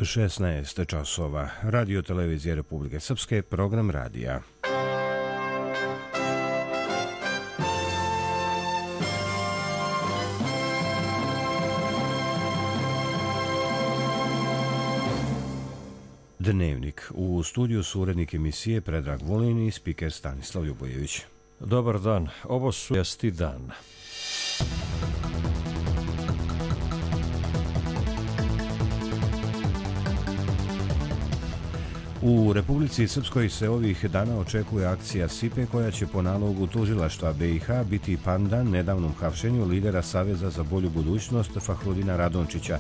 16 časova. Radio televizije Republike Srpske, program radija. Dnevnik. U studiju su urednik emisije Predrag Vulin i spiker Stanislav Ljubojević. Dobar dan. Ovo su vijesti dan. U Republici Srpskoj se ovih dana očekuje akcija SIPE koja će po nalogu tužilaštva BiH biti pandan nedavnom hapšenju lidera Saveza za bolju budućnost Fahrudina Radončića.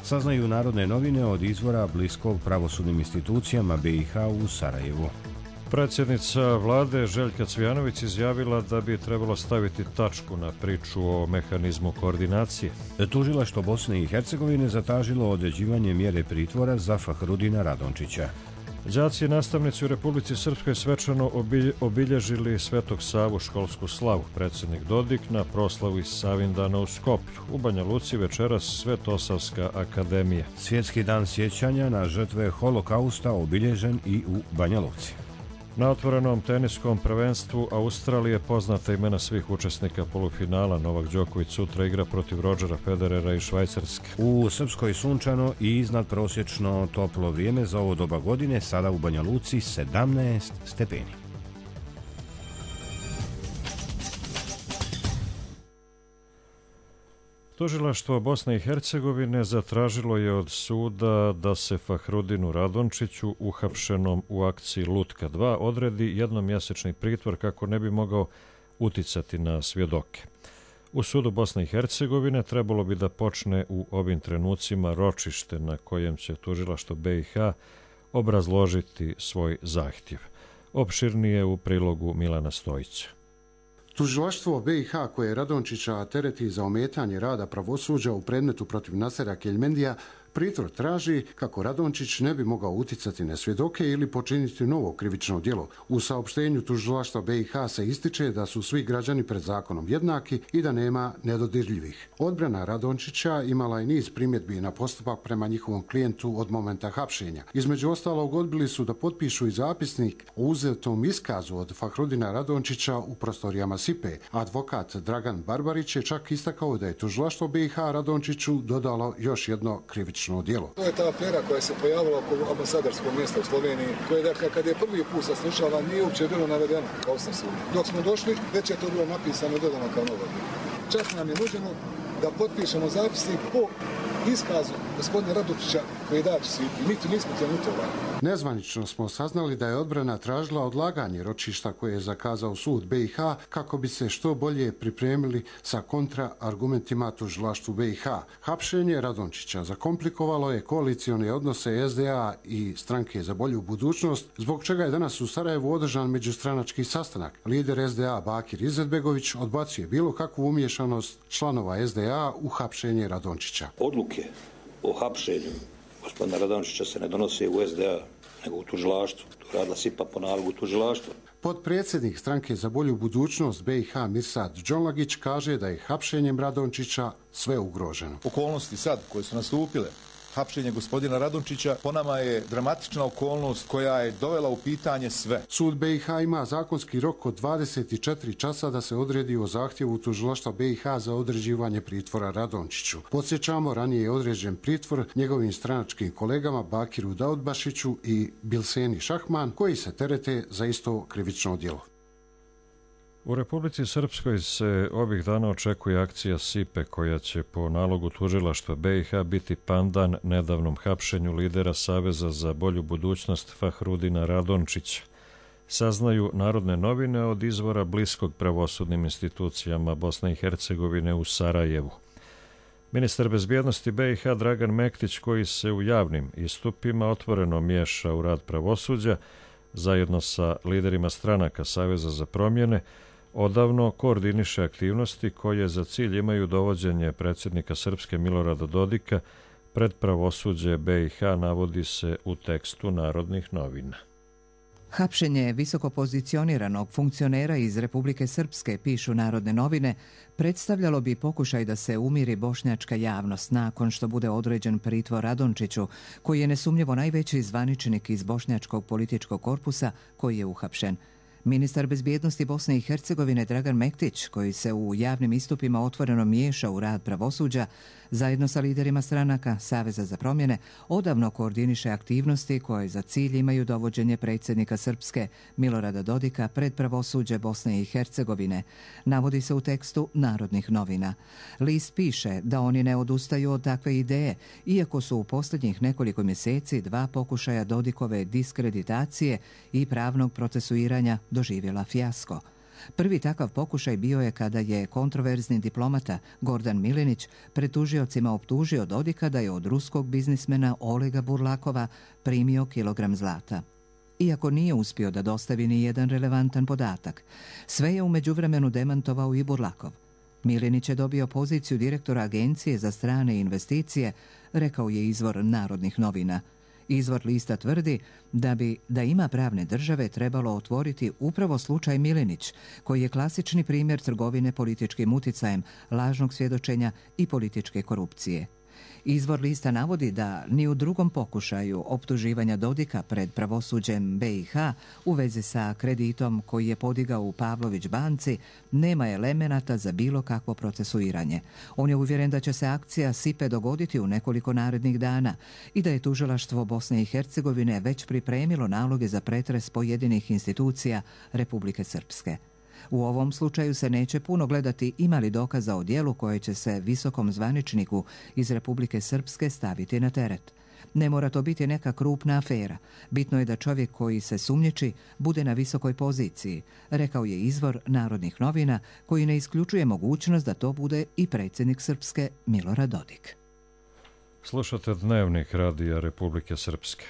Saznaju Narodne novine od izvora bliskog pravosudnim institucijama BiH u Sarajevu. Predsjednica vlade Željka Cvijanović izjavila da bi trebalo staviti tačku na priču o mehanizmu koordinacije. Tužilaštvo Bosne i Hercegovine zatražilo određivanje mjere pritvora za Fahrudina Radončića. Đaci i nastavnici u Republici Srpskoj svečano obilježili Svetog Savu školsku slavu. Predsjednik Dodik na proslavi Savindana u Skoplju. U Banja Luci večeras Svetosavska akademija. Svjetski dan sjećanja na žrtve holokausta obilježen i u Banja Luci. Na otvorenom teniskom prvenstvu Australije poznata imena svih učesnika polufinala. Novak Đoković sutra igra protiv Rodgera Federera i Švajcarske. U Srpskoj sunčano i iznadprosječno toplo vrijeme za ovo doba godine, sada u Banja Luci 17 stepeni. Tužilaštvo Bosne i Hercegovine zatražilo je od suda da se Fahrudinu Radončiću, uhapšenom u akciji Lutka 2, odredi jednomjesečni pritvor kako ne bi mogao uticati na svjedoke. U sudu Bosne i Hercegovine trebalo bi da počne u ovim trenucima ročište na kojem će tužilaštvo BiH obrazložiti svoj zahtjev. Opširnije u prilogu Milana Stojića. Tužilaštvo BiH koje Radončića tereti za ometanje rada pravosuđa u predmetu protiv Nasera Keljmendija pritvor traži kako Radončić ne bi mogao uticati na svjedoke ili počiniti novo krivično djelo. U saopštenju tužilaštva BiH se ističe da su svi građani pred zakonom jednaki i da nema nedodirljivih. Odbrana Radončića imala je niz primjedbi na postupak prema njihovom klijentu od momenta hapšenja. Između ostalog odbili su da potpišu i zapisnik o uzetom iskazu od Fahrudina Radončića u prostorijama SIPE. Advokat Dragan Barbarić je čak istakao da je tužilaštvo BiH Radončiću dodalo još jedno krivično djelo. To je ta afera koja se pojavila oko ambasadarskog mjesta u Sloveniji, koje dakle kad je prvi put saslušala nije uopće bilo navedeno kao sam sud. Dok smo došli, već je to bilo napisano i dodano kao novo djelo. Čas nam je nuđeno da potpišemo zapisnik po iskazu gospodina Radončića koji je dat u svijetu. Mi nismo trenuto radili. Nezvanično smo saznali da je odbrana tražila odlaganje ročišta koje je zakazao sud BiH kako bi se što bolje pripremili sa kontraargumentima tužilaštvu BiH. Hapšenje Radončića zakomplikovalo je koalicione odnose SDA i Stranke za bolju budućnost, zbog čega je danas u Sarajevu održan međustranački sastanak. Lider SDA Bakir Izetbegović odbacuje bilo kakvu umiješanost članova SDA u hapšenje Radončića. Odluke o hapšenju gospodina Radončića se ne donose u SDA, nego u tužilaštvu. To radila SIPA po nalogu tužilaštva. Potpredsjednik Stranke za bolju budućnost BiH Mirsad Džonlagić kaže da je hapšenjem Radončića sve ugroženo. Okolnosti sad koje su nastupile, hapšenje gospodina Radončića po nama je dramatična okolnost koja je dovela u pitanje sve. Sud BiH ima zakonski rok od 24 časa da se odredi o zahtjevu tužilaštva BiH za određivanje pritvora Radončiću. Podsjećamo, ranije je određen pritvor njegovim stranačkim kolegama Bakiru Daudbašiću i Bilseni Šahman, koji se terete za isto krivično djelo. U Republici Srpskoj se ovih dana očekuje akcija SIPE koja će po nalogu tužilaštva BiH biti pandan nedavnom hapšenju lidera Saveza za bolju budućnost Fahrudina Radončića. Saznaju Narodne novine od izvora bliskog pravosudnim institucijama Bosne i Hercegovine u Sarajevu. Ministar bezbjednosti BiH Dragan Mektić, koji se u javnim istupima otvoreno miješa u rad pravosuđa, zajedno sa liderima stranaka Saveza za promjene, odavno koordiniše aktivnosti koje za cilj imaju dovođenje predsjednika Srpske Milorada Dodika pred pravosuđe BiH, navodi se u tekstu Narodnih novina. Hapšenje visoko pozicioniranog funkcionera iz Republike Srpske, pišu Narodne novine, predstavljalo bi pokušaj da se umiri bošnjačka javnost nakon što bude određen pritvor Radončiću, koji je nesumnjivo najveći zvaničnik iz bošnjačkog političkog korpusa koji je uhapšen. Ministar bezbjednosti Bosne i Hercegovine Dragan Mektić, koji se u javnim istupima otvoreno miješa u rad pravosuđa, zajedno sa liderima stranaka Saveza za promjene, odavno koordiniše aktivnosti koje za cilj imaju dovođenje predsjednika Srpske Milorada Dodika pred pravosuđe Bosne i Hercegovine, navodi se u tekstu Narodnih novina. List piše da oni ne odustaju od takve ideje, iako su u posljednjih nekoliko mjeseci 2 pokušaja Dodikove diskreditacije i pravnog procesuiranja doživjela fijasko. Prvi takav pokušaj bio je kada je kontroverzni diplomata Gordan Milinić pred tužiocima optužio Dodika da je od ruskog biznismena Olega Burlakova primio kilogram zlata. Iako nije uspio da dostavi ni jedan relevantan podatak, sve je u međuvremenu demantovao i Burlakov. Milinić je dobio poziciju direktora Agencije za strane investicije, rekao je izvor Narodnih novina. Izvor lista tvrdi da bi, da ima pravne države, trebalo otvoriti upravo slučaj Milinić, koji je klasični primjer trgovine političkim uticajem, lažnog svjedočenja i političke korupcije. Izvor lista navodi da ni u drugom pokušaju optuživanja Dodika pred pravosuđem BiH u vezi sa kreditom koji je podigao u Pavlović banci nema elemenata za bilo kakvo procesuiranje. On je uvjeren da će se akcija SIPE dogoditi u nekoliko narednih dana i da je tužilaštvo Bosne i Hercegovine već pripremilo naloge za pretres pojedinih institucija Republike Srpske. U ovom slučaju se neće puno gledati ima li dokaza o djelu koje će se visokom zvaničniku iz Republike Srpske staviti na teret. Ne mora to biti neka krupna afera. Bitno je da čovjek koji se sumnjiči bude na visokoj poziciji, rekao je izvor Narodnih novina, koji ne isključuje mogućnost da to bude i predsjednik Srpske Milorad Dodik. Slušate Dnevnik Radija Republike Srpske.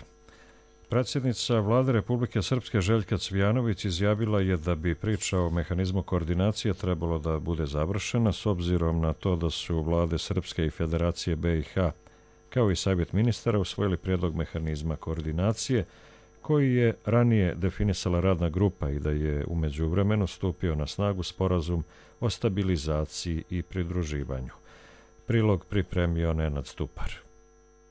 Predsjednica Vlade Republike Srpske Željka Cvijanović izjavila je da bi priča o mehanizmu koordinacije trebalo da bude završena s obzirom na to da su vlade Srpske i Federacije BiH kao i Savjet ministara usvojili prijedlog mehanizma koordinacije koji je ranije definisala radna grupa i da je u međuvremenu stupio na snagu sporazum o stabilizaciji i pridruživanju. Prilog pripremio Nenad Stupar.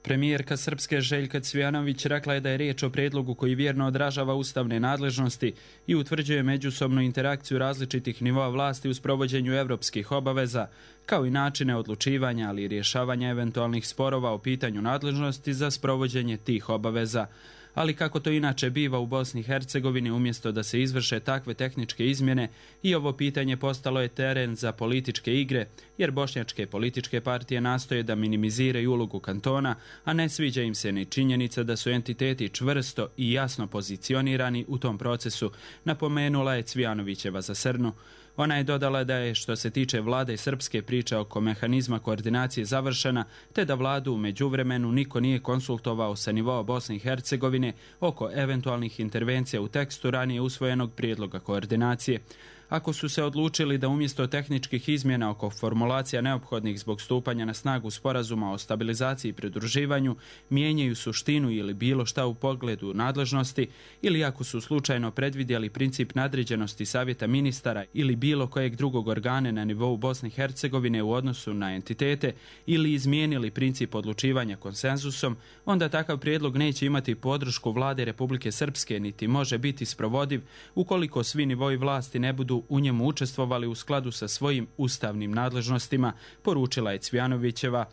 Premijerka Srpske Željka Cvijanović rekla je da je riječ o prijedlogu koji vjerno odražava ustavne nadležnosti i utvrđuje međusobnu interakciju različitih nivoa vlasti u sprovođenju evropskih obaveza, kao i načine odlučivanja, ali i rješavanja eventualnih sporova o pitanju nadležnosti za sprovođenje tih obaveza. Ali kako to inače biva u Bosni i Hercegovini, umjesto da se izvrše takve tehničke izmjene, i ovo pitanje postalo je teren za političke igre, jer bošnjačke političke partije nastoje da minimiziraju ulogu kantona, a ne sviđa im se ni činjenica da su entiteti čvrsto i jasno pozicionirani u tom procesu, napomenula je Cvijanovićeva za Srnu. Ona je dodala da je, što se tiče vlade Srpske, priča oko mehanizma koordinacije završena, te da vladu u međuvremenu niko nije konsultovao sa nivoa Bosne i Hercegovine oko eventualnih intervencija u tekstu ranije usvojenog prijedloga koordinacije. Ako su se odlučili da umjesto tehničkih izmjena oko formulacija neophodnih zbog stupanja na snagu sporazuma o stabilizaciji i pridruživanju mijenjaju suštinu ili bilo šta u pogledu nadležnosti, ili ako su slučajno predvidjeli princip nadređenosti Savjeta ministara ili bilo kojeg drugog organa na nivou Bosne i Hercegovine u odnosu na entitete, ili izmijenili princip odlučivanja konsenzusom, onda takav prijedlog neće imati podršku vlade Republike Srpske niti može biti sprovodiv ukoliko svi nivoi vlasti ne budu u njemu učestvovali u skladu sa svojim ustavnim nadležnostima, poručila je Cvijanovićeva.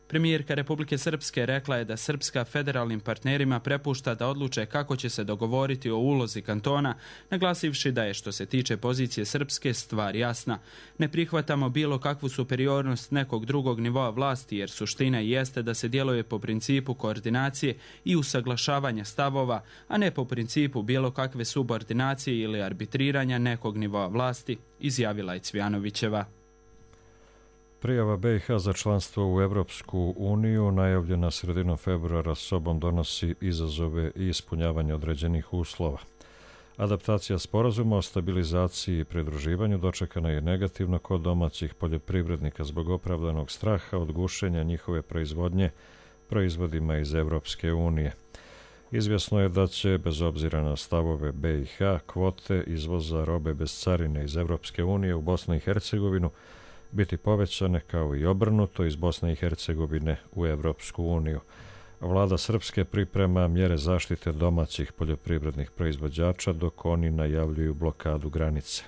Premijerka Republike Srpske rekla je da Srpska federalnim partnerima prepušta da odluče kako će se dogovoriti o ulozi kantona, naglasivši da je, što se tiče pozicije Srpske, stvar jasna. Ne prihvatamo bilo kakvu superiornost nekog drugog nivoa vlasti, jer suština jeste da se djeluje po principu koordinacije i usaglašavanja stavova, a ne po principu bilo kakve subordinacije ili arbitriranja nekog nivoa vlasti, izjavila je Cvijanovićeva. Prijava BiH za članstvo u Evropsku uniju, najavljena sredinom februara, sobom donosi izazove i ispunjavanje određenih uslova. Adaptacija sporazuma o stabilizaciji i pridruživanju dočekana je negativno kod domaćih poljoprivrednika zbog opravdanog straha od gušenja njihove proizvodnje proizvodima iz Evropske unije. Izvjesno je da će, bez obzira na stavove BiH, kvote izvoza robe bez carine iz Evropske unije u Bosnu i Hercegovinu biti povećane kao i obrnuto iz Bosne i Hercegovine u Evropsku uniju. Vlada Srpske priprema mjere zaštite domaćih poljoprivrednih proizvođača dok oni najavljuju blokadu granice.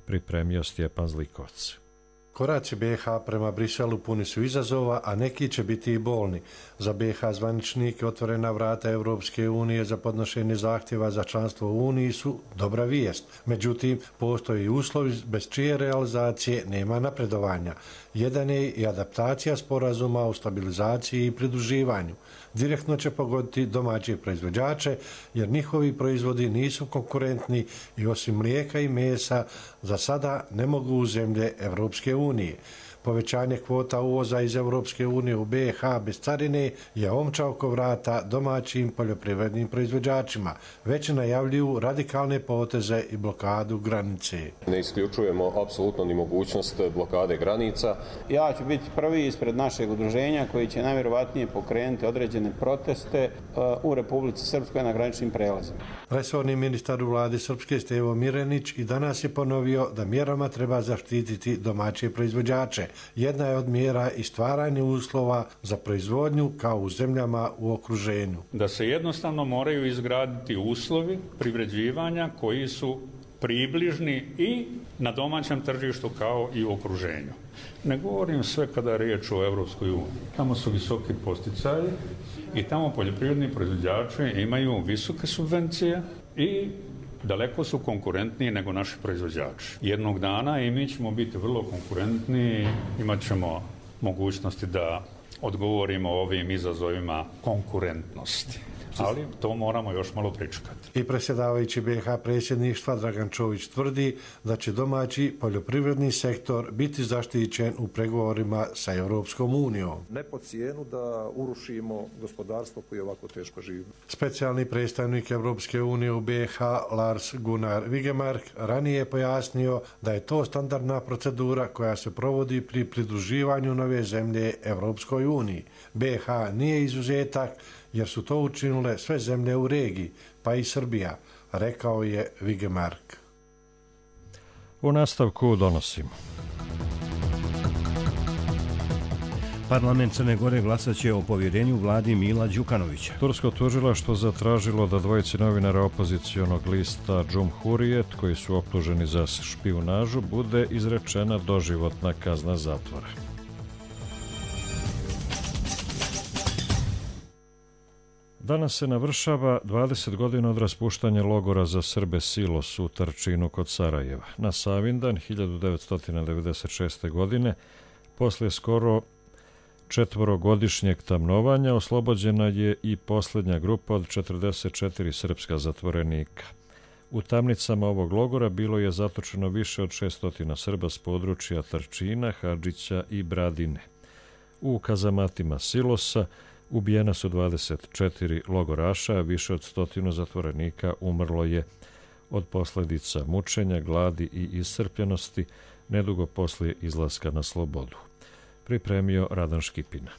Pripremio Stjepan Zlikovac. Koraci BiH prema Briselu puni su izazova, a neki će biti i bolni. Za BiH zvaničnike otvorena vrata Evropske unije za podnošenje zahtjeva za članstvo u Uniji su dobra vijest. Međutim, postoji i uslovi bez čije realizacije nema napredovanja. Jedan je i adaptacija sporazuma o stabilizaciji i pridruživanju. Direktno će pogoditi domaće proizvođače jer njihovi proizvodi nisu konkurentni i osim mlijeka i mesa za sada ne mogu u zemlje Evropske unije. Povećanje kvota uvoza iz Evropske unije u BiH bez carine je omča oko vrata domaćim poljoprivrednim proizvođačima. Već najavljuju radikalne poteze i blokadu granice. Ne isključujemo apsolutno ni mogućnost blokade granica. Ja ću biti prvi ispred našeg udruženja koji će najvjerovatnije pokrenuti određene proteste u Republici Srpskoj na graničnim prelazima. Resorni ministar u vladi Srpske Stevo Mirenić i danas je ponovio da mjerama treba zaštititi domaće proizvođače. Jedna je od mjera i stvaranje uslova za proizvodnju kao u zemljama u okruženju. Da se jednostavno moraju izgraditi uslovi privređivanja koji su približni i na domaćem tržištu kao i u okruženju. Ne govorim sve kada je riječ o Evropskoj uniji. Tamo su visoki posticaji i tamo poljoprivredni proizvođači imaju visoke subvencije i daleko su konkurentniji nego naši proizvođači. Jednog dana i mi ćemo biti vrlo konkurentni, imat ćemo mogućnosti da odgovorimo ovim izazovima konkurentnosti. Ali to moramo još malo pričekati. I predsjedavajući BiH predsjedništva Dragan Čović tvrdi da će domaći poljoprivredni sektor biti zaštićen u pregovorima sa Europskom unijom. Ne po cijenu da urušimo gospodarstvo koje ovako teško živi. Specijalni predstavnik Europske unije u BiH Lars Gunnar Vigemark ranije je pojasnio da je to standardna procedura koja se provodi pri pridruživanju nove zemlje Europskoj uniji. BiH nije izuzetak jer su to učinile sve zemlje u regiji, pa i Srbija, rekao je Vigemark. U nastavku donosimo. Parlament Crne Gore glasat će o povjerenju vladi Mila Đukanovića. Tursko tužilaštvo zatražilo da dvojici novinara opozicionog lista Džumhurijet, koji su optuženi za špijunažu, bude izrečena doživotna kazna zatvora. Danas se navršava 20 godina od raspuštanja logora za Srbe Silos u Trčinu kod Sarajeva. Na Savindan 1996. godine, poslije skoro 4-godišnjeg tamnovanja, oslobođena je i posljednja grupa od 44 srpska zatvorenika. U tamnicama ovog logora bilo je zatočeno više od 600 Srba s područja Trčina, Hadžića i Bradine. U kazamatima Silosa ubijena su 24 logoraša, a više od 100 zatvorenika umrlo je od posljedica mučenja, gladi i iscrpljenosti nedugo poslije izlaska na slobodu. Pripremio Radan Škipina.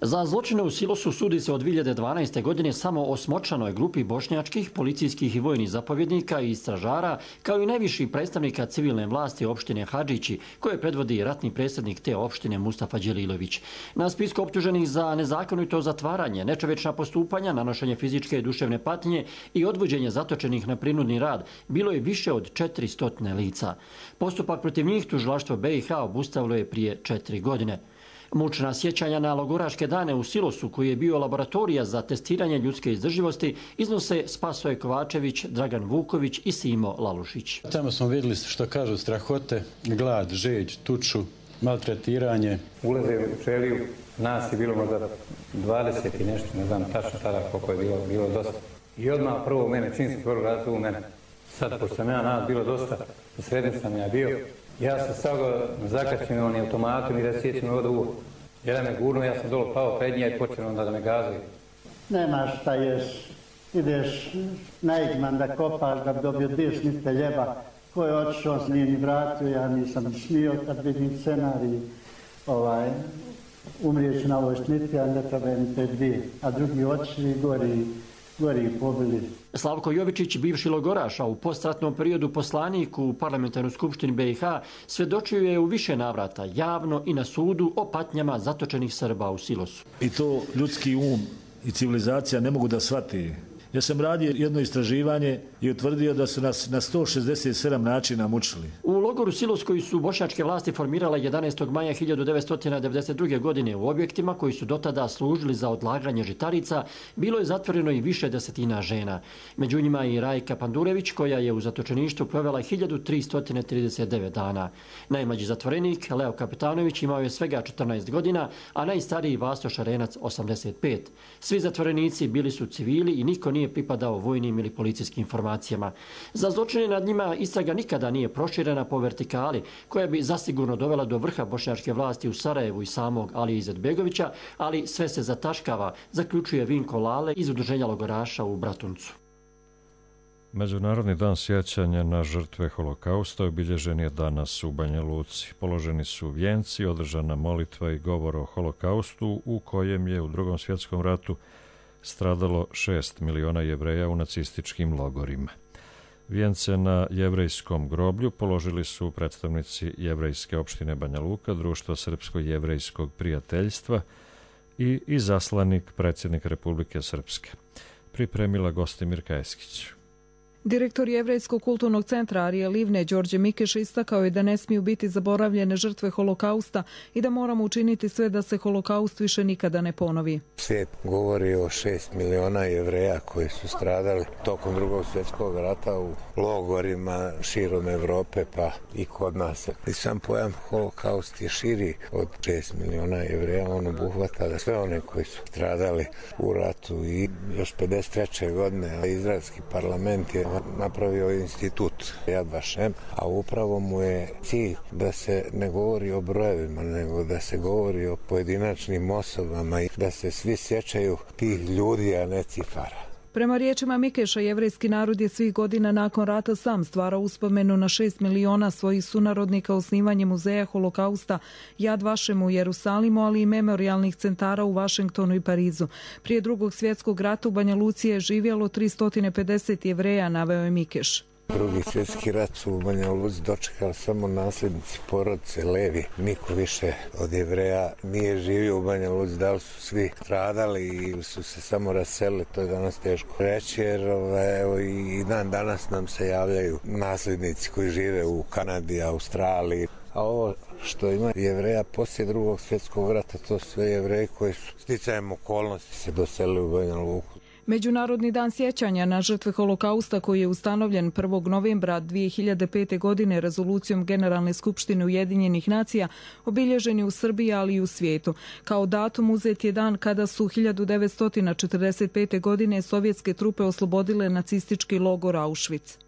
Za zločine u Silosu sudi se od 2012. godine samo osmočlanoj grupi bošnjačkih, policijskih i vojnih zapovjednika i istražara, kao i najviših predstavnika civilne vlasti opštine Hadžići, koje predvodi ratni predsjednik te opštine Mustafa Đelilović. Na spisku optuženih za nezakonito zatvaranje, nečovječna postupanja, nanošenje fizičke i duševne patnje i odvođenje zatočenih na prinudni rad bilo je više od 400 lica. Postupak protiv njih tužilaštvo BiH obustavilo je prije 4 godine. Mučna sjećanja na logoraške dane u Silosu, koji je bio laboratorija za testiranje ljudske izdrživosti, iznose Spasoje Kovačević, Dragan Vuković i Simo Lalušić. Tamo smo vidjeli što kažu strahote, glad, žeđ, tuču, maltretiranje. Ulaze u čeliju, nas je bilo možda 20 i nešto, ne znam tačno tada koliko je bilo dosta. I odmah prvo mene, čim se prvo razvoju mene. Sad, pošto sam ja nas bilo dosta, u srednju sam ja bio. Ja sam stavio zakačen onim automatom i da sjećam vodu u. Jedan me gurno, ja sam dolo pao pred nje i počeo onda da me gazuje. Nemaš šta ješ, ideš na Igman da kopaš, da bi dobio 2 šnitte ljeba. Ko je otišao, s nije ni vratio, ja nisam smio kad vidim scenarij. Umrijeću na ovoj šniti, a ne treba mi te 2. A drugi otišli gori gori pobili. Slavko Jovičić, bivši logoraš, a u postratnom periodu poslanik u Parlamentarnoj skupštini BiH, svjedočio je u više navrata, javno i na sudu, o patnjama zatočenih Srba u silosu. I to ljudski um i civilizacija ne mogu da shvati. Ja sam radio jedno istraživanje i utvrdio da su nas na 167 načina mučili. U logoru Silos koji su bošnjačke vlasti formirale 11. maja 1992. godine u objektima koji su dotada služili za odlaganje žitarica, bilo je zatvoreno i više desetina žena. Među njima i Rajka Pandurević, koja je u zatočeništvu provela 1339 dana. Najmlađi zatvorenik, Leo Kapitanović, imao je svega 14 godina, a najstariji Vaso Šarenac 85. Svi zatvorenici bili su civili i niko nije pripadao vojnim ili policijskim informacijama. Za zločine nad njima istraga nikada nije proširena po vertikali, koja bi zasigurno dovela do vrha bošnjačke vlasti u Sarajevu i samog Alije Izetbegovića, ali sve se zataškava, zaključuje Vinko Lale iz Udruženja logoraša u Bratuncu. Međunarodni dan sjećanja na žrtve holokausta obilježen je danas u Banja Luci. Položeni su vijenci, održana molitva i govor o holokaustu u kojem je u Drugom svjetskom ratu stradalo 6 miliona Jevreja u nacističkim logorima. Vijence na jevrejskom groblju položili su predstavnici jevrejske opštine Banja Luka, Društva srpsko-jevrejskog prijateljstva i izaslanik predsjednik Republike Srpske. Pripremila Gostimir Kajeskić. Direktor Jevrejskog kulturnog centra Arije Livne, Đorđe Mikeš, istakao je da ne smiju biti zaboravljene žrtve holokausta i da moramo učiniti sve da se holokaust više nikada ne ponovi. Svijet govori o 6 miliona Jevreja koji su stradali tokom Drugog svjetskog rata u logorima širom Evrope pa i kod nas. I sam pojam holokaust je širi od 6 miliona Jevreja. On obuhvata sve one koji su stradali u ratu i još 53. godine izraelski parlament je napravio institut Yad Vashem, a upravo mu je cilj da se ne govori o brojevima, nego da se govori o pojedinačnim osobama i da se svi sjećaju tih ljudi, a ne cifara. Prema riječima Mikeša, jevrejski narod je svih godina nakon rata sam stvarao uspomenu na 6 miliona svojih sunarodnika osnivanjem muzeja holokausta Yad Vashem u Jerusalimu, ali i memorialnih centara u Vašingtonu i Parizu. Prije Drugog svjetskog rata u Banja Luci je živjelo 350 Jevreja, naveo je Mikeš. Drugi svjetski rat su u Banja Luci dočekali samo nasljednici porodice Levi. Niko više od Jevreja nije živio u Banja Luci, da li su svi stradali ili su se samo raselili, to je danas teško reći, jer evo, i dan danas nam se javljaju nasljednici koji žive u Kanadi, Australiji. A ovo što ima Jevreja poslije Drugog svjetskog rata, to su sve Jevreji koji su sticajem okolnosti se doselili u Banja Luku. Međunarodni dan sjećanja na žrtve holokausta koji je ustanovljen 1. novembra 2005. godine rezolucijom Generalne skupštine Ujedinjenih nacija obilježen je u Srbiji, ali i u svijetu. Kao datum uzet je dan kada su 1945. godine sovjetske trupe oslobodile nacistički logor Auschwitz.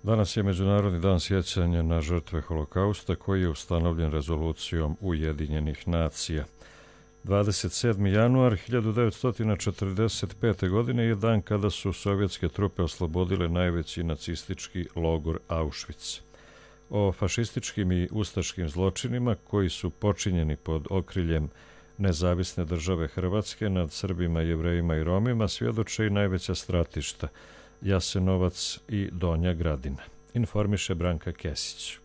Danas je Međunarodni dan sjećanja na žrtve holokausta koji je ustanovljen rezolucijom Ujedinjenih nacija. 27. januar 1945. godine je dan kada su sovjetske trupe oslobodile najveći nacistički logor Auschwitz. O fašističkim i ustaškim zločinima koji su počinjeni pod okriljem Nezavisne države Hrvatske nad Srbima, Jevrejima i Romima svjedoče i najveća stratišta Jasenovac i Donja Gradina. Informiše Branka Kesić.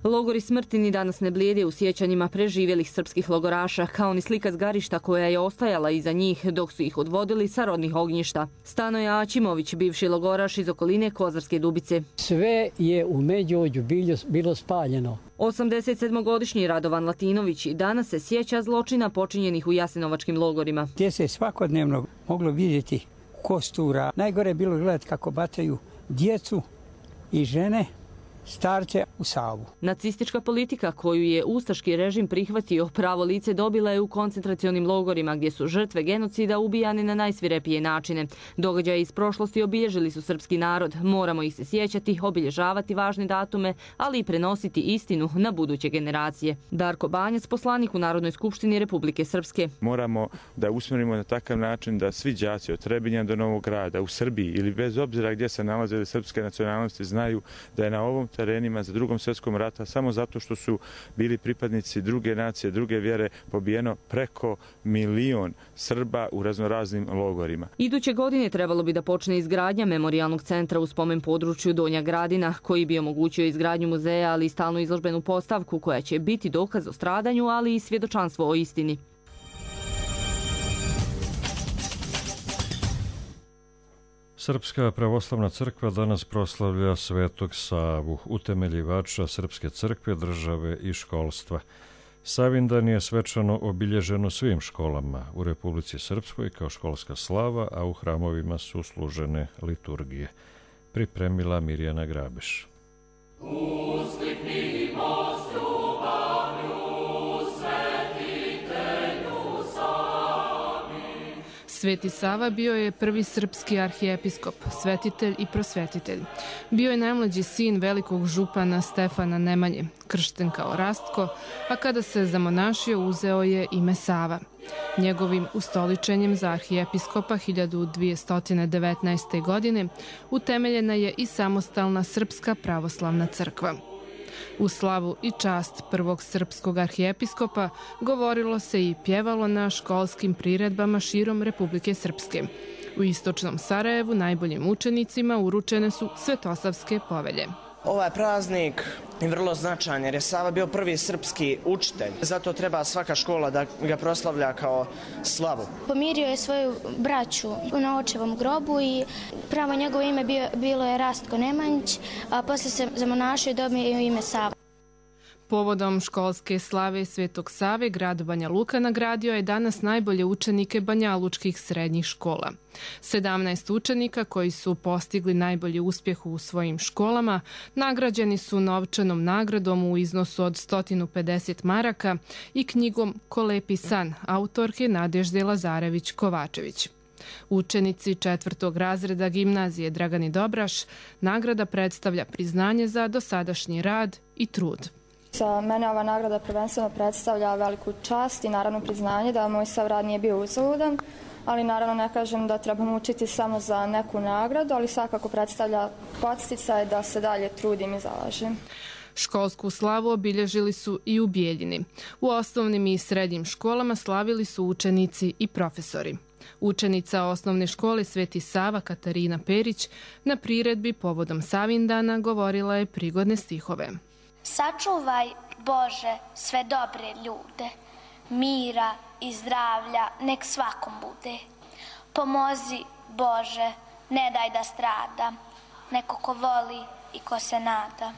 Logori smrti ni danas ne blijede u sjećanjima preživjelih srpskih logoraša, kao ni slika zgarišta koja je ostajala iza njih dok su ih odvodili sa rodnih ognjišta. Stanoje Ačimović, bivši logoraš iz okoline Kozarske Dubice. Sve je u Međuvođu bilo spaljeno. 87-godišnji Radovan Latinović i danas se sjeća zločina počinjenih u jasenovačkim logorima. Gdje se svakodnevno moglo vidjeti kostura. Najgore je bilo gledati kako bacaju djecu i žene, starce u Savu. Nacistička politika koju je ustaški režim prihvatio pravo lice dobila je u koncentracionim logorima gdje su žrtve genocida ubijane na najsvirepije načine. Događaje iz prošlosti obilježili su srpski narod. Moramo ih se sjećati, obilježavati važne datume, ali i prenositi istinu na buduće generacije. Darko Banjac, poslanik u Narodnoj skupštini Republike Srpske. Moramo da usmjerimo na takav način da svi đaci od Trebinja do Novog Grada u Srbiji ili bez obzira gdje se nalaze srpske nacionalnosti znaju da je na ovom terenima za Drugom svjetskom rata samo zato što su bili pripadnici druge nacije, druge vjere, pobijeno preko 1 milion Srba u raznoraznim logorima. Iduće godine trebalo bi da počne izgradnja memorijalnog centra u spomen području Donja Gradina, koji bi omogućio izgradnju muzeja, ali i stalnu izložbenu postavku koja će biti dokaz o stradanju, ali i svjedočanstvo o istini. Srpska pravoslavna crkva danas proslavlja Svetog Savu, utemeljivača Srpske crkve, države i školstva. Savindan je svečano obilježen u svim školama u Republici Srpskoj kao školska slava, a u hramovima su služene liturgije. Pripremila Mirjana Grabeš. Sveti Sava bio je prvi srpski arhijepiskop, svetitelj i prosvetitelj. Bio je najmlađi sin velikog župana Stefana Nemanje, kršten kao Rastko, a kada se zamonašio uzeo je ime Sava. Njegovim ustoličenjem za arhijepiskopa 1219. godine utemeljena je i samostalna Srpska pravoslavna crkva. U slavu i čast prvog srpskog arhijepiskopa govorilo se i pjevalo na školskim priredbama širom Republike Srpske. U istočnom Sarajevu najboljim učenicima uručene su Svetosavske povelje. Ovaj praznik je vrlo značajan jer je Sava bio prvi srpski učitelj. Zato treba svaka škola da ga proslavlja kao slavu. Pomirio je svoju braću na očevom grobu i pravo njegovo ime bilo je Rastko Nemanjić, a poslije se zamonašio i dobio ime Sava. Povodom školske slave Svetog Save, grad Banja Luka nagradio je danas najbolje učenike banjalučkih srednjih škola. 17 učenika koji su postigli najbolji uspjeh u svojim školama nagrađeni su novčanom nagradom u iznosu od 150 maraka i knjigom Ko lepi san autorke Nadežde Lazarević-Kovačević. Učenici 4. razreda gimnazije Dragani Dobraš nagrada predstavlja priznanje za dosadašnji rad i trud. Za mene ova nagrada prvenstveno predstavlja veliku čast i naravno priznanje da moj sav rad nije bio uzaludan, ali naravno ne kažem da trebamo učiti samo za neku nagradu, ali svakako predstavlja podsticaj da se dalje trudim i zalažem. Školsku slavu obilježili su i u Bijeljini. U osnovnim i srednjim školama slavili su učenici i profesori. Učenica osnovne škole Sveti Sava Katarina Perić na priredbi povodom Savindana govorila je prigodne stihove. Sačuvaj, Bože, sve dobre ljude, mira i zdravlja nek svakom bude. Pomozi, Bože, ne daj da strada, neko ko voli i ko se nada.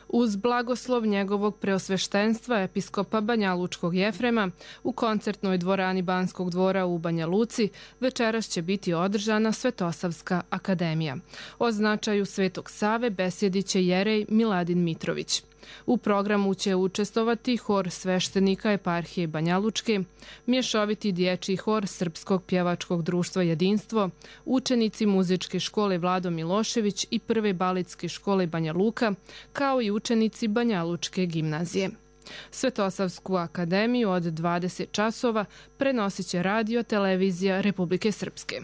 Uz blagoslov njegovog preosveštenstva episkopa Banjalučkog Jefrema u koncertnoj dvorani Banskog dvora u Banja Luci večeras će biti održana Svetosavska akademija. O značaju Svetog Save besjediće jerej Miladin Mitrović. U programu će učestvovati hor sveštenika eparhije Banjalučke, mješoviti dječji hor Srpskog pjevačkog društva Jedinstvo, učenici muzičke škole Vlado Milošević i prve baletske škole Banja Luka, kao i učenici Banjalučke gimnazije. Svetosavsku akademiju od 20 časova prenosit će radio televizija Republike Srpske.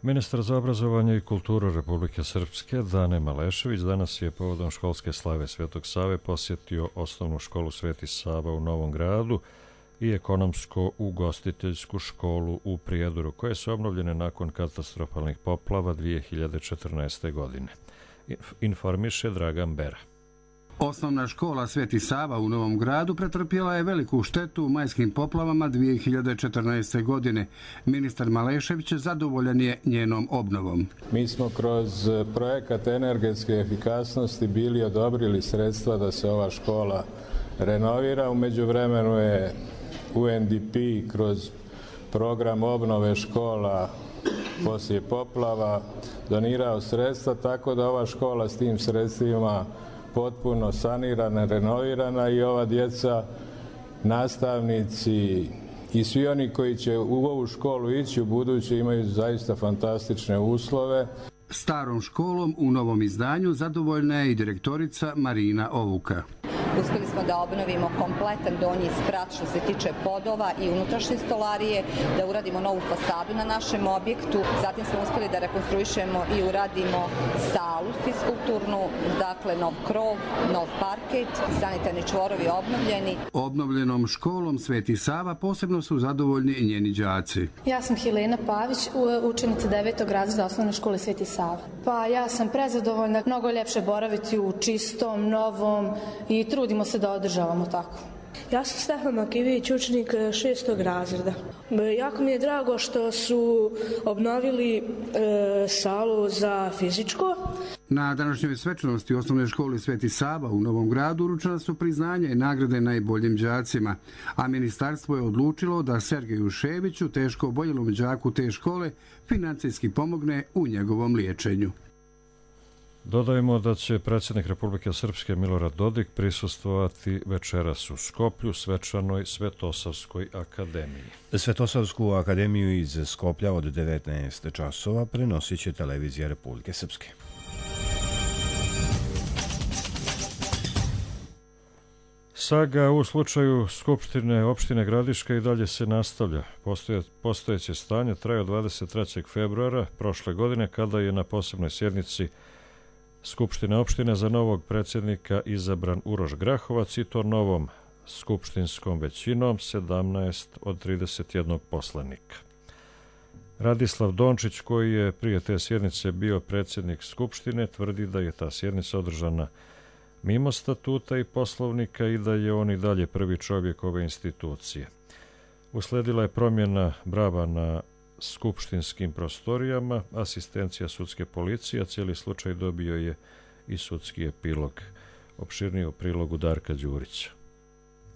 Ministar za obrazovanje i kulturu Republike Srpske Dane Malešević danas je povodom školske slave Svetog Save posjetio osnovnu školu Sveti Sava u Novom Gradu i ekonomsko-ugostiteljsku školu u Prijedoru, koje su obnovljene nakon katastrofalnih poplava 2014. godine. Informiše Dragan Bera. Osnovna škola Sveti Sava u Novom Gradu pretrpjela je veliku štetu u majskim poplavama 2014. godine. Ministar Malešević zadovoljan je njenom obnovom. Mi smo kroz projekat energetske efikasnosti bili odobrili sredstva da se ova škola renovira. U međuvremenu je UNDP kroz program obnove škola poslije poplava donirao sredstva, tako da ova škola s tim sredstvima potpuno sanirana, renovirana i ova djeca, nastavnici i svi oni koji će u ovu školu ići u buduće imaju zaista fantastične uslove. Starom školom u novom izdanju zadovoljna je i direktorica Marina Ovuka. Uspjeli smo da obnovimo kompletan donji sprat što se tiče podova i unutrašnje stolarije, da uradimo novu fasadu na našem objektu. Zatim smo uspjeli da rekonstruišemo i uradimo salu fiskulturnu, dakle nov krov, nov parket, sanitarni čvorovi obnovljeni. Obnovljenom školom Sveti Sava posebno su zadovoljni i njeni đaci. Ja sam Helena Pavić, učenica 9. razreda osnovne škole Sveti Sava. Pa ja sam prezadovoljna, mnogo je ljepše boraviti u čistom, novom i trudimo se da održavamo tako. Ja sam Stefan Makivić, učenik 6. razreda. Jako mi je drago što su obnovili salu za fizičko. Na današnjoj svečanosti osnovne škole Sveti Sava u Novom Gradu uručena su priznanja i nagrade najboljim đacima, a ministarstvo je odlučilo da Sergeju Ševiću, teško oboljelom đaku te škole, financijski pomogne u njegovom liječenju. Dodajemo da će predsjednik Republike Srpske Milorad Dodik prisustvovati večeras u Skoplju svečanoj Svetosavskoj akademiji. Svetosavsku akademiju iz Skoplja od 19 časova prenosit će televizija Republike Srpske. Saga u slučaju Skupštine opštine Gradiška i dalje se nastavlja. Postojeće stanje traje od 23. februara prošle godine kada je na posebnoj sjednici Skupštine opštine za novog predsjednika izabran Uroš Grahovac i to novom skupštinskom većinom 17 od 31 poslanika. Radislav Dončić, koji je prije te sjednice bio predsjednik Skupštine, tvrdi da je ta sjednica održana mimo statuta i poslovnika i da je on i dalje prvi čovjek ove institucije. Usledila je promjena brava na skupštinskim prostorijama, asistencija sudske policije, a cijeli slučaj dobio je i sudski epilog. Opširnije u prilogu Darka Đurića.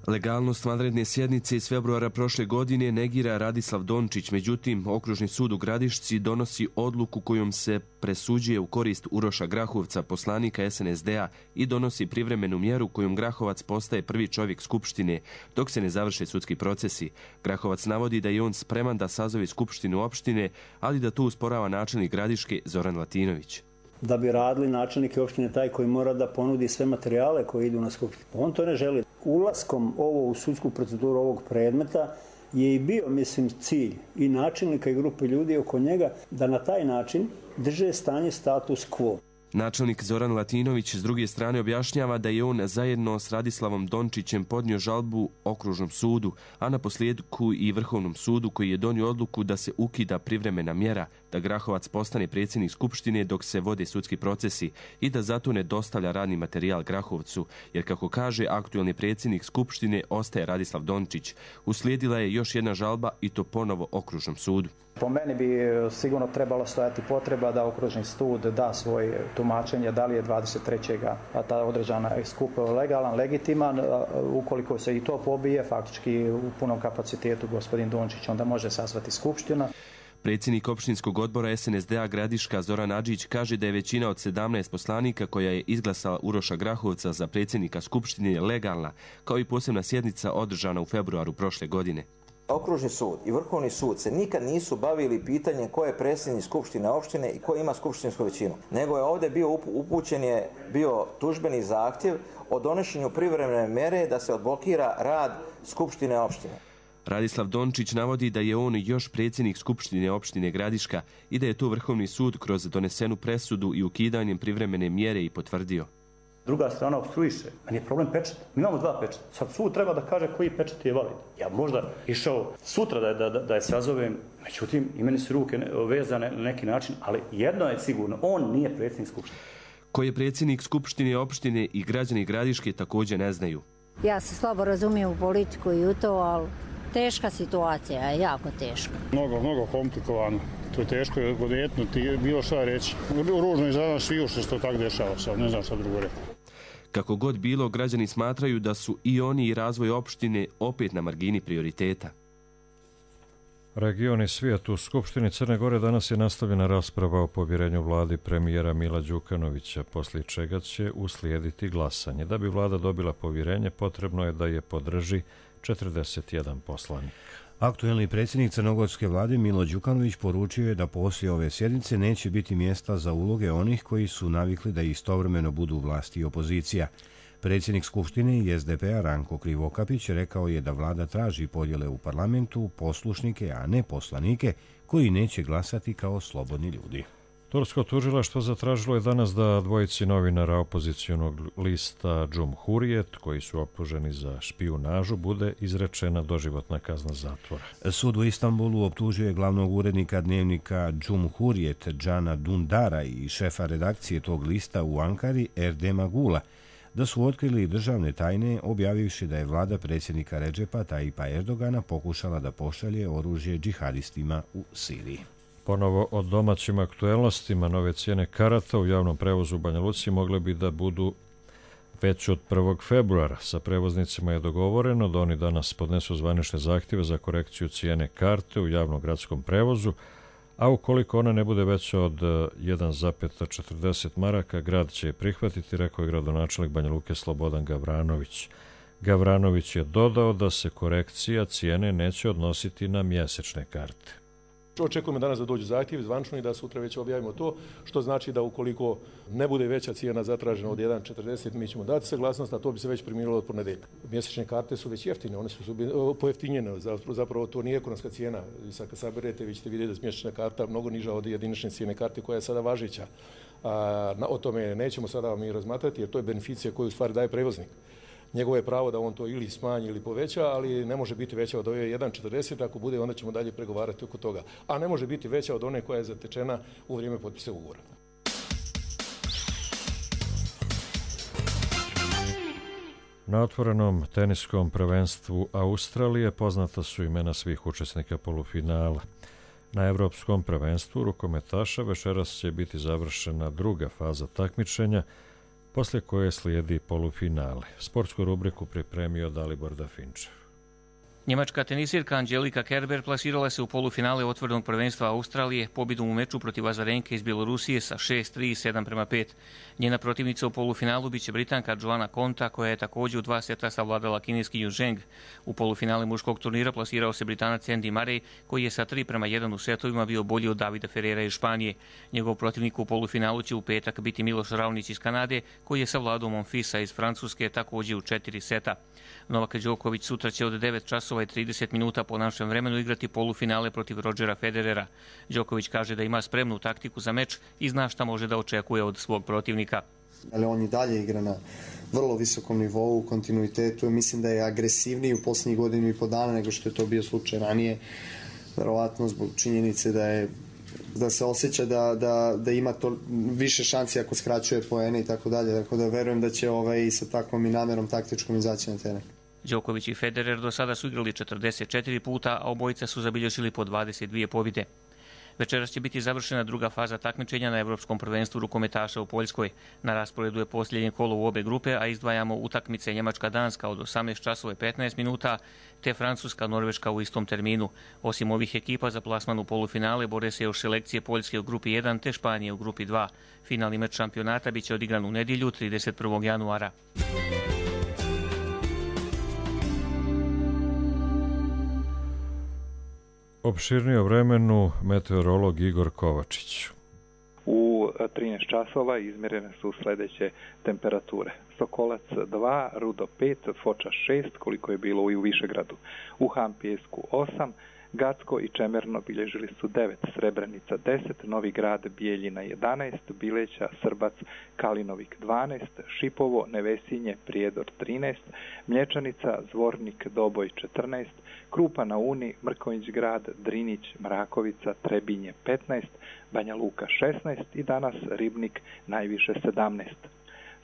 Legalnost vanredne sjednice iz februara prošle godine negira Radislav Dončić, međutim, Okružni sud u Gradišci donosi odluku kojom se presuđuje u korist Uroša Grahovca, poslanika SNSD-a, i donosi privremenu mjeru kojom Grahovac postaje prvi čovjek Skupštine, dok se ne završe sudski procesi. Grahovac navodi da je on spreman da sazove Skupštinu opštine, ali da to usporava načelnik Gradiške Zoran Latinović. Da bi radili načelnike opštine taj koji mora da ponudi sve materijale koji idu na skupštinu. On to ne želi. Ulaskom u sudsku proceduru ovog predmeta je i bio, mislim, cilj i načelnika i grupe ljudi oko njega da na taj način drže stanje status quo. Načelnik Zoran Latinović s druge strane objašnjava da je on zajedno s Radislavom Dončićem podnio žalbu Okružnom sudu, a na posljedku i Vrhovnom sudu koji je donio odluku da se ukida privremena mjera da Grahovac postane predsjednik Skupštine dok se vode sudski procesi i da zato ne dostavlja radni materijal Grahovcu, jer kako kaže aktuelni predsjednik Skupštine ostaje Radislav Dončić. Uslijedila je još jedna žalba i to ponovo Okružnom sudu. Po meni bi sigurno trebalo stojati potreba da Okružni sud da svoje tumačenje da li je 23. ta određena skup legalan, legitiman. Ukoliko se i to pobije, faktički u punom kapacitetu gospodin Dončić onda može sazvati skupština. Predsjednik opštinskog odbora SNSD-a Gradiška Zoran Adžić kaže da je većina od 17 poslanika koja je izglasala Uroša Grahovca za predsjednika Skupštine legalna, kao i posebna sjednica održana u februaru prošle godine. Okružni sud i Vrhovni sud se nikad nisu bavili pitanjem ko je predsjednik Skupštine opštine i ko ima skupštinsku većinu. Nego je ovdje bio tužbeni zahtjev o donošenju privremene mere da se odblokira rad Skupštine opštine. Radislav Dončić navodi da je on još predsjednik Skupštine opštine Gradiška i da je to Vrhovni sud kroz donesenu presudu i ukidanjem privremene mjere i potvrdio. Druga strana opstruiše. Meni je problem pečat. Mi imamo 2 pečata. Sad sud treba da kaže koji pečat je valid. Ja možda išao sutra da je sazovem, međutim, i meni su ruke vezane na neki način, ali jedno je sigurno, on nije predsjednik Skupštine. Ko je predsjednik Skupštine opštine i građani Gradiške također ne znaju. Ja se slabo razumijem u politiku i u to, ali teška situacija je, jako teška. Mnogo komplikovano. To je teško odjetnuti, bilo šta reći. Ružno je za nas sviju što se to tako dešava sad, ne znam šta drugo reći. Kako god bilo, građani smatraju da su i oni i razvoj opštine opet na margini prioriteta. Region i svijet. U Skupštini Crne Gore danas je nastavljena rasprava o povjerenju vladi premijera Mila Đukanovića, poslije čega će uslijediti glasanje. Da bi vlada dobila povjerenje, potrebno je da je podrži 41 poslanik. Aktuelni predsjednik crnogorske vlade Milo Đukanović poručio je da poslije ove sjednice neće biti mjesta za uloge onih koji su navikli da istovremeno budu vlast i opozicija. Predsjednik Skupštine i SDP-a Ranko Krivokapić rekao je da vlada traži podjele u parlamentu, poslušnike, a ne poslanike, koji neće glasati kao slobodni ljudi. Tursko tužilaštvo zatražilo je danas da dvojici novinara opozicionog lista Cumhuriyet, koji su optuženi za špijunažu, bude izrečena doživotna kazna zatvora. Sud u Istanbulu optužuje glavnog urednika dnevnika Cumhuriyet Džana Dundara i šefa redakcije tog lista u Ankari Erdema Gula da su otkrili državne tajne, objavivši da je vlada predsjednika Redžepa Tajipa Erdogana pokušala da pošalje oružje džihadistima u Siriji. Ponovo o domaćim aktuelnostima, nove cijene karata u javnom prevozu u Banja Luci mogle bi da budu već od 1. februara. Sa prevoznicima je dogovoreno da oni danas podnesu zvanične zahtjeve za korekciju cijene karte u javnom gradskom prevozu, a ukoliko ona ne bude veća od 1,40 maraka, grad će je prihvatiti, rekao je gradonačelnik Banja Luke Slobodan Gavranović. Gavranović je dodao da se korekcija cijene neće odnositi na mjesečne karte. Očekujemo danas da dođu zahtjevi zvančno i da sutra već objavimo to, što znači da ukoliko ne bude veća cijena zatražena od 1,40, mi ćemo dati saglasnost, a to bi se već primjenjivalo od ponedjeljka. Mjesečne karte su već jeftine, one su pojeftinjene, zapravo to nije ekonomska cijena. I sad kad saberete, vi ćete vidjeti da je mjesečna karta mnogo niža od jedinične cijene karte koja je sada važeća. O tome nećemo sada mi razmatrati, jer to je beneficija koju u stvari daje prevoznik. Njegovo je pravo da on to ili smanji ili poveća, ali ne može biti veća od ove 1,40, ako bude onda ćemo dalje pregovarati oko toga. A ne može biti veća od one koja je zatečena u vrijeme potpisa ugovora. Na otvorenom teniskom prvenstvu Australije poznata su imena svih učesnika polufinala. Na Evropskom prvenstvu rukometaša večeras će biti završena druga faza takmičenja, poslije koje slijedi polufinale. Sportsku rubriku pripremio Dalibor Dafinčev. Njemačka tenisirka Angelika Kerber plasirala se u polufinale otvorenog prvenstva Australije pobjedom u meču protiv Azarenke iz Bjelorusije sa 6-3 i 7:5. Njena protivnica u polufinalu biće Britanka Joanna Konta, koja je također u 2 seta savladala kineskinju Zheng. U polufinale muškog turnira plasirao se Britanac Andy Murray, koji je sa 3:1 u setovima bio bolji od Davida Ferrera iz Španije. Njegov protivnik u polufinalu će u petak biti Miloš Raonić iz Kanade, koji je savladao Monfilsa iz Francuske također u 4 seta. Novak Đoković sutra će od 9 časova i 30 minuta po našem vremenu igrati polufinale protiv Rodgera Federera. Đoković kaže da ima spremnu taktiku za meč i zna šta može da očekuje od svog protivnika. Ali on i dalje igra na vrlo visokom nivou, u kontinuitetu. Mislim da je agresivniji u posljednjih godinu i po dana nego što je to bio slučaj ranije. Verovatno zbog činjenice da se osjeća da ima to više šansi ako skraćuje poene i tako dalje. Tako da verujem da će i sa takvom i namjerom taktičkom izaći na teren. Đoković i Federer do sada su igrali 44 puta, a obojica su zabilježili po 22 pobjede. Večeras će biti završena druga faza takmičenja na Evropskom prvenstvu rukometaša u Poljskoj. Na rasporedu je posljednje kolo u obe grupe, a izdvajamo utakmice Njemačka-Danska od 18 časova i 15 minuta, te Francuska-Norveška u istom terminu. Osim ovih ekipa za plasman u polufinale bore se još selekcije Poljske u grupi 1 te Španije u grupi 2. Finalni meč šampionata biće odigran u nedjelju 31. januara. Opširnije o vremenu meteorolog Igor Kovačić. U 13 časova izmjerene su sljedeće temperature. Sokolac 2, Rudo 5, Foča 6, koliko je bilo i u Višegradu. U Hampijesku 8, Gacko i Čemerno bilježili su 9, Srebrenica 10, Novi Grad, Bijeljina 11, Bileća, Srbac, Kalinovik 12, Šipovo, Nevesinje, Prijedor 13, Mlječanica, Zvornik, Doboj 14, Krupa na Uni, Mrkonjić Grad, Drinić, Mrakovica, Trebinje 15, Banja Luka 16 i danas Ribnik najviše 17.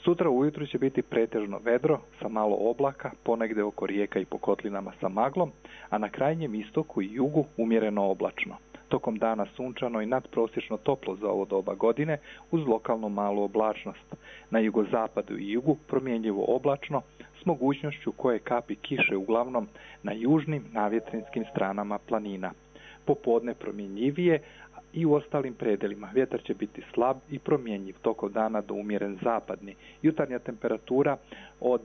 Sutra ujutru će biti pretežno vedro sa malo oblaka, ponegde oko rijeka i po kotlinama sa maglom, a na krajnjem istoku i jugu umjereno oblačno. Tokom dana sunčano i nadprosječno toplo za ovo doba godine uz lokalnu malu oblačnost. Na jugozapadu i jugu promjenjivo oblačno s mogućnošću koje kapi kiše uglavnom na južnim navjetrinskim stranama planina. Popodne promjenjivije i u ostalim predelima. Vjetar će biti slab i promjenjiv tokom dana do umjeren zapadni. Jutarnja temperatura od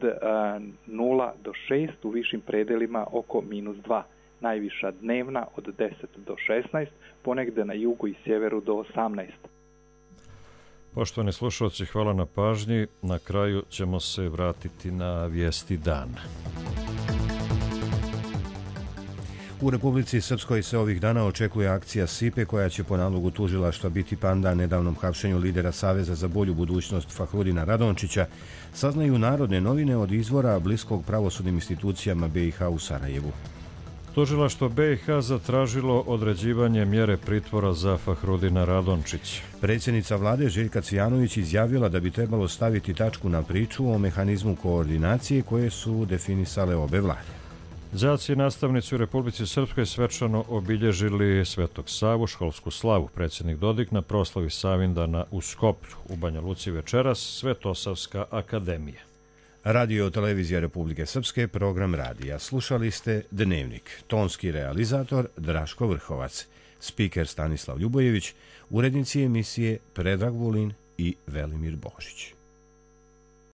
0 do 6, u višim predelima oko -2. Najviša dnevna od 10 do 16, ponegde na jugu i sjeveru do 18. Poštovani slušalci, hvala na pažnji. Na kraju ćemo se vratiti na vijesti dana. U Republici Srpskoj se ovih dana očekuje akcija SIPE koja će po nalogu tužilaštva biti pandan nedavnom hapšenju lidera Saveza za bolju budućnost Fahrudina Radončića, saznaju Narodne novine od izvora bliskog pravosudnim institucijama BiH u Sarajevu. Tužilaštvo BiH zatražilo određivanje mjere pritvora za Fahrudina Radončića. Predsjednica vlade Željka Cvijanović izjavila da bi trebalo staviti tačku na priču o mehanizmu koordinacije koje su definisale obe vlade. Đaci i nastavnici u Republici Srpskoj svečano obilježili Svetog Savu, školsku slavu. Predsjednik Dodik na proslavi Savindana u Skoplju. U Banja Luci večeras Svetosavska akademija. Radio Televizija Republike Srpske, program radija. Slušali ste Dnevnik. Tonski realizator Draško Vrhovac. Spiker Stanislav Ljubojević. Urednici emisije Predrag Vulin i Velimir Božić.